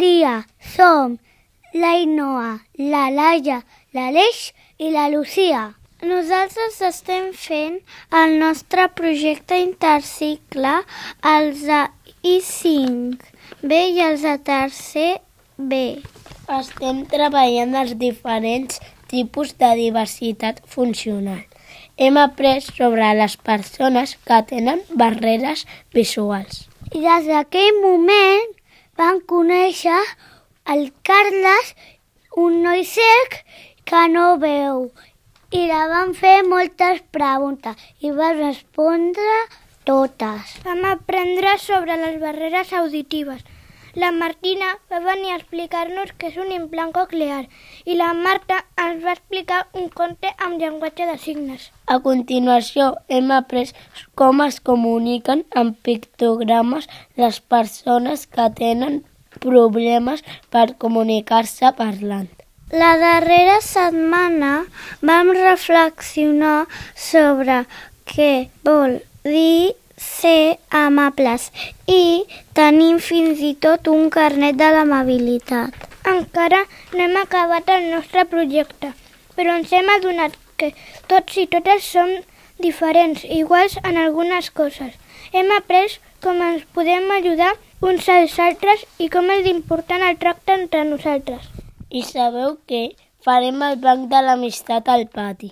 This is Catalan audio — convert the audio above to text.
dia, som l'Ainoa, la Laia, l'Aleix i la Lucía. Nosaltres estem fent el nostre projecte intercicle, els de I5B i els de tercer B. Estem treballant els diferents tipus de diversitat funcional. Hem après sobre les persones que tenen barreres visuals. I des d'aquell moment van conèixer el Carles, un noi cec que no veu, i la van fer moltes preguntes i va respondre totes. Vam aprendre sobre les barreres auditives. La Martina va venir a explicar-nos què és un implant coclear i la Marta ens va explicar un conte amb llenguatge de signes. A continuació, hem après com es comuniquen amb pictogrames les persones que tenen problemes per comunicar-se parlant. La darrera setmana vam reflexionar sobre què vol dir ser amables i tenim fins i tot un carnet de l'amabilitat. Encara no hem acabat el nostre projecte, però ens hem adonat que tots i totes som diferents, iguals en algunes coses. Hem après com ens podem ajudar uns als altres i com és important el tracte entre nosaltres. I sabeu què? Farem el banc de l'amistat al pati.